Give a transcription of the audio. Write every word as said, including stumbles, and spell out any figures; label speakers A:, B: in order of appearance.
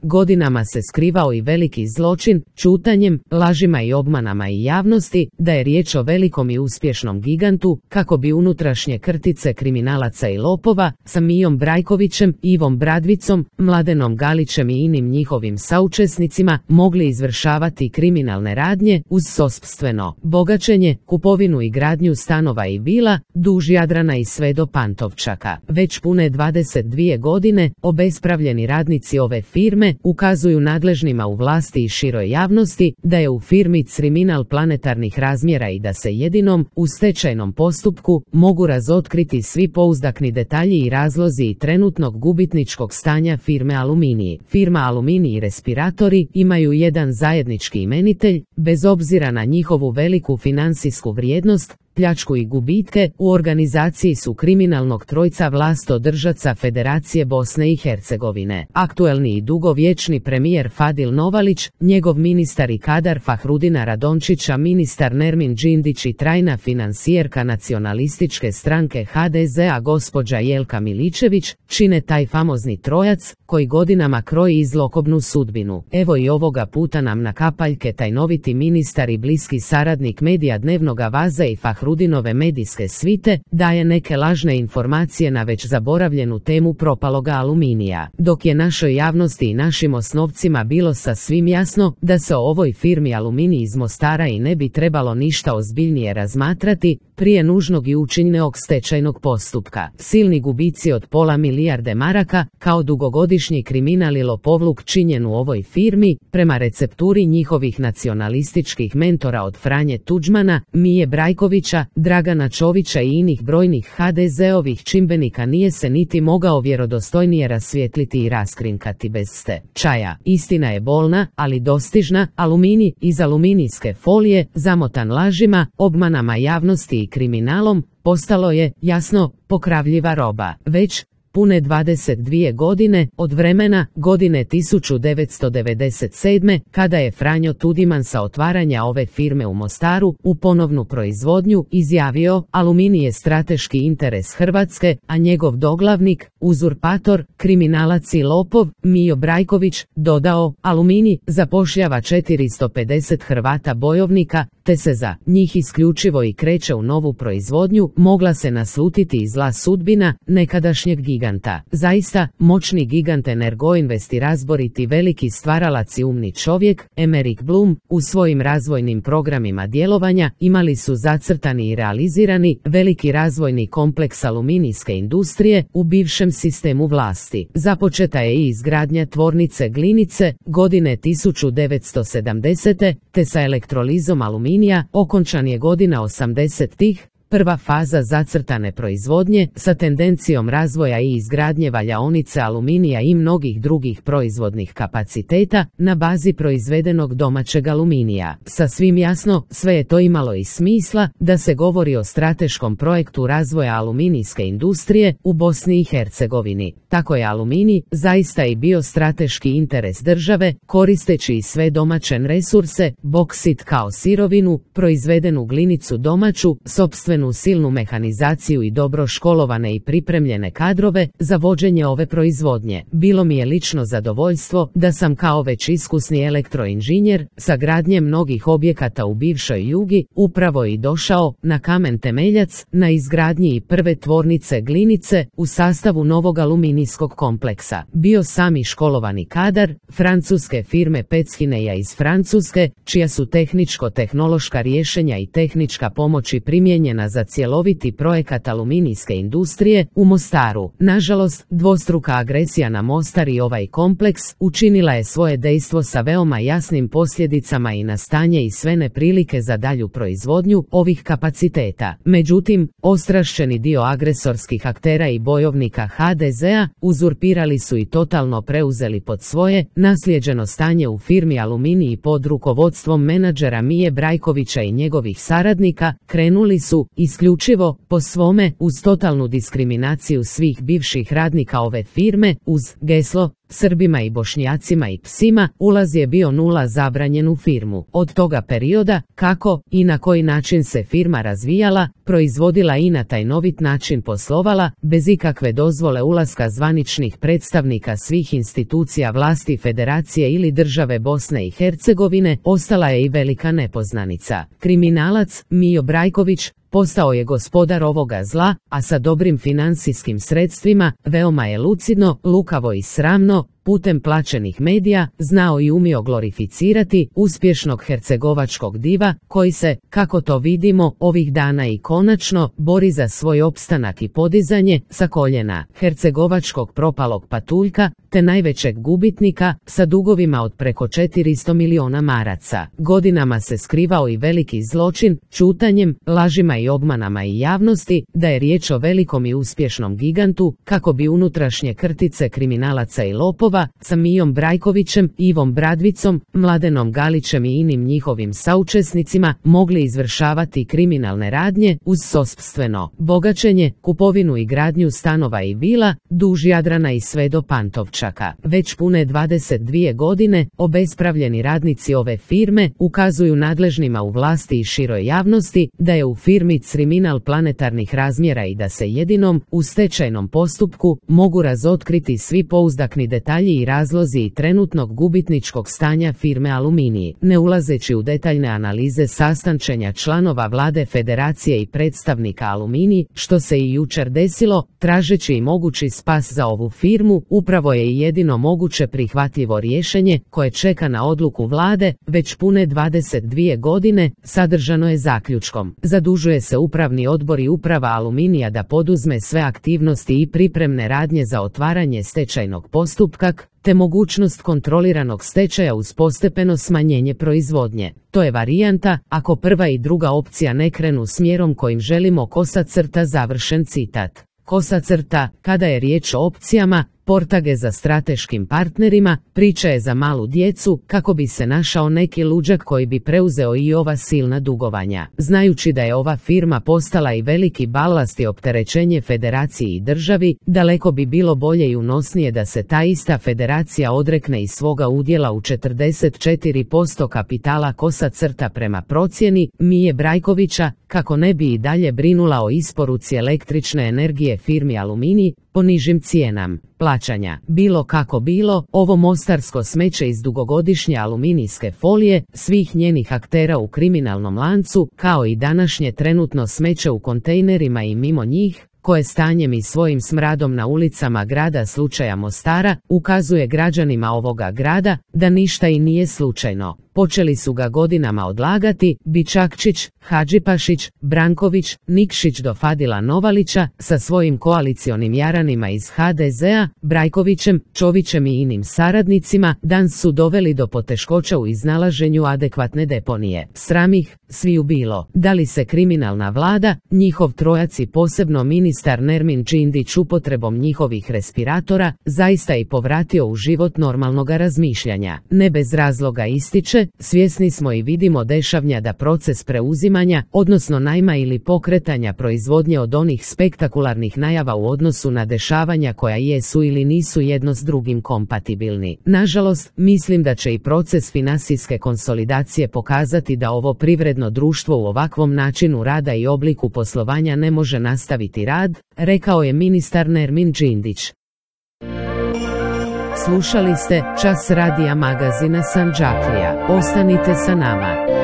A: godinama se skrivao i veliki zločin, čutanjem, lažima i obmanama i javnosti, da je riječ o velikom i uspješnom gigantu, kako bi unutrašnje krtice kriminalaca i lopova, sa Mijom Brajkovićem, Ivom Bradvicom, Mladenom Galićem i inim njihovim saučesnicima, mogli izvršavati kriminalne radnje uz sopstveno bogaćenje, kupovinu i gradnju stanova i vila, duž Jadrana i sve do Pantovčaka. Već pune dvadeset dvije godine, obespravljeni radnici ove firme ukazuju nadležnima u vlasti i široj javnosti da je u firmi kriminal planetarnih razmjera i da se jedinom u stečajnom postupku mogu razotkriti svi pouzdakni detalji i razlozi i trenutnog gubitničkog stanja firme Aluminij. Firma Aluminij i respiratori imaju jedan zajednički imenitelj, bez obzira na njihovu veliku financijsku vrijednost, pljačku i gubitke. U organizaciji su kriminalnog trojca vlastodržaca Federacije Bosne i Hercegovine. Aktuelni i dugovječni premijer Fadil Novalić, njegov ministar i kadar Fahrudina Radončića, ministar Nermin Džindić i trajna financijerka nacionalističke stranke H D Z a gospođa Jelka Miličević, čine taj famozni trojac koji godinama kroji zlokobnu sudbinu. Evo i ovoga puta nam na kapaljke tajnoviti ministar i bliski saradnik medija Dnevnoga Vaza i Fahrudinove medijske svite daje neke lažne informacije na već zaboravljenu temu propaloga Aluminija. Dok je našoj javnosti i našim osnovcima bilo sasvim jasno da se o ovoj firmi Aluminij iz Mostara i ne bi trebalo ništa ozbiljnije razmatrati prije nužnog i učinjenog stečajnog postupka. Silni gubici od pola milijarde maraka, kao dugogodišnji kriminal i lopovluk činjen u ovoj firmi, prema recepturi njihovih nacionalističkih mentora od Franje Tuđmana, Mije Brajkovića, Dragana Čovića i inih brojnih H D Z-ovih čimbenika, nije se niti mogao vjerodostojnije rasvijetliti i raskrinkati bez stečaja. Istina je bolna, ali dostižna. Aluminij iz aluminijske folije, zamotan lažima, obmanama javnosti i kriminalom, postalo je, jasno, pokravljiva roba. Već pune dvadeset dvije godine od vremena godine tisuću devetsto devedeset sedme. kada je Franjo Tuđman sa otvaranja ove firme u Mostaru u ponovnu proizvodnju izjavio: Aluminij je strateški interes Hrvatske, a njegov doglavnik, uzurpator, kriminalac i lopov, Mijo Brajković, dodao: Aluminij zapošljava četiristo pedeset Hrvata bojovnika, te se za njih isključivo i kreće u novu proizvodnju. Mogla se naslutiti i zla sudbina nekadašnjeg giganta. Zaista, moćni gigant Energoinvest i razboriti veliki stvaralac i umni čovjek, Emerick Blum, u svojim razvojnim programima djelovanja imali su zacrtani i realizirani veliki razvojni kompleks aluminijske industrije u bivšem sistemu vlasti. Započeta je i izgradnja tvornice Glinice godine tisuću devetsto sedamdesete. te sa elektrolizom aluminija okončan je godina osamdesetih. Prva faza zacrtane proizvodnje sa tendencijom razvoja i izgradnje valjaonice aluminija i mnogih drugih proizvodnih kapaciteta na bazi proizvedenog domaćeg aluminija. Sasvim jasno, sve je to imalo i smisla da se govori o strateškom projektu razvoja aluminijske industrije u Bosni i Hercegovini. Tako je aluminij zaista i bio strateški interes države, koristeći i sve domaće resurse, boksit kao sirovinu, proizvedenu glinicu domaću, sopstvenu silnu mehanizaciju i dobro školovane i pripremljene kadrove za vođenje ove proizvodnje. Bilo mi je lično zadovoljstvo da sam kao već iskusni elektroinženjer sa gradnjem mnogih objekata u bivšoj Jugi upravo i došao na kamen temeljac na izgradnji i prve tvornice Glinice u sastavu novog aluminijskog kompleksa. Bio sam i školovani kadar francuske firme Petshineja iz Francuske, čija su tehničko-tehnološka rješenja i tehnička pomoć i primijenjena za cjeloviti projekat aluminijske industrije u Mostaru. Nažalost, dvostruka agresija na Mostar i ovaj kompleks učinila je svoje dejstvo sa veoma jasnim posljedicama i na stanje i sve neprilike za dalju proizvodnju ovih kapaciteta. Međutim, ostrašćeni dio agresorskih aktera i bojovnika H D Z-a uzurpirali su i totalno preuzeli pod svoje naslijeđeno stanje u firmi Aluminij pod rukovodstvom menadžera Mije Brajkovića i njegovih saradnika. Krenuli su isključivo po svome uz totalnu diskriminaciju svih bivših radnika ove firme uz geslo Srbima i Bošnjacima i psima, ulaz je bio nula zabranjen u firmu. Od toga perioda, kako i na koji način se firma razvijala, proizvodila i na tajnovit način poslovala, bez ikakve dozvole ulaska zvaničnih predstavnika svih institucija vlasti Federacije ili države Bosne i Hercegovine, ostala je i velika nepoznanica. Kriminalac Mijo Brajković postao je gospodar ovoga zla, a sa dobrim financijskim sredstvima, veoma je lucidno, lukavo i sramno, putem plaćenih medija, znao i umio glorificirati uspješnog hercegovačkog diva, koji se, kako to vidimo, ovih dana i konačno, bori za svoj opstanak i podizanje sa koljena hercegovačkog propalog patuljka, te najvećeg gubitnika, sa dugovima od preko četiristo miliona maraca. Godinama se skrivao i veliki zločin, čutanjem, lažima i obmanama i javnosti, da je riječ o velikom i uspješnom gigantu, kako bi unutrašnje krtice kriminalaca i lopova, sa Mijom Brajkovićem, Ivom Bradvicom, Mladenom Galićem i inim njihovim saučesnicima mogli izvršavati kriminalne radnje uz sopstveno bogaćenje, kupovinu i gradnju stanova i vila, duž Jadrana i sve do Pantovčaka. Već pune dvadeset dvije godine, obespravljeni radnici ove firme ukazuju nadležnima u vlasti i široj javnosti da je u firmi kriminal planetarnih razmjera i da se jedinom, u stečajnom postupku, mogu razotkriti svi pouzdakni detalji i razlozi i trenutnog gubitničkog stanja firme Aluminij. Ne ulazeći u detaljne analize sastančenja članova vlade Federacije i predstavnika Aluminij, što se i jučer desilo, tražeći i mogući spas za ovu firmu, upravo je i jedino moguće prihvatljivo rješenje koje čeka na odluku vlade, već pune dvadeset dvije godine, sadržano je zaključkom. Zadužuje se upravni odbor i uprava Aluminija da poduzme sve aktivnosti i pripremne radnje za otvaranje stečajnog postupka, te mogućnost kontroliranog stečaja uz postepeno smanjenje proizvodnje. To je varijanta, ako prva i druga opcija ne krenu smjerom kojim želimo, kosa crta, završen citat. Kosa crta, kada je riječ o opcijama, portage za strateškim partnerima, priča je za malu djecu, kako bi se našao neki luđak koji bi preuzeo i ova silna dugovanja. Znajući da je ova firma postala i veliki balast i opterećenje Federaciji i državi, daleko bi bilo bolje i unosnije da se ta ista Federacija odrekne i svoga udjela u četrdeset četiri posto kapitala kosa crta prema procjeni Mije Brajkovića, kako ne bi i dalje brinula o isporuci električne energije firmi Aluminij po nižim cijenama plaćanja. Bilo kako bilo, ovo mostarsko smeće iz dugogodišnje aluminijske folije, svih njenih aktera u kriminalnom lancu, kao i današnje trenutno smeće u kontejnerima i mimo njih, koje stanjem i svojim smradom na ulicama grada slučaja Mostara, ukazuje građanima ovoga grada da ništa i nije slučajno. Počeli su ga godinama odlagati Bičakčić, Hadžipašić, Branković, Nikšić do Fadila Novalića sa svojim koalicionim jaranima iz ha de zea, Brajkovićem, Čovićem i inim saradnicima, dan su doveli do poteškoća u iznalaženju adekvatne deponije. Sram ih sviju bilo. Da li se kriminalna vlada, njihov trojac i posebno ministar Nermin Džindić upotrebom njihovih respiratora, zaista i povratio u život normalnoga razmišljanja. Ne bez razloga ističe, svjesni smo i vidimo dešavnja da proces preuzimanja, odnosno najma ili pokretanja proizvodnje od onih spektakularnih najava u odnosu na dešavanja koja jesu ili nisu jedno s drugim kompatibilni. Nažalost, mislim da će i proces finansijske konsolidacije pokazati da ovo privredno društvo u ovakvom načinu rada i obliku poslovanja ne može nastaviti rad, rekao je ministar Nermin Džindić. Slušali ste Čas radija magazina Sandžaklija. Ostanite sa nama.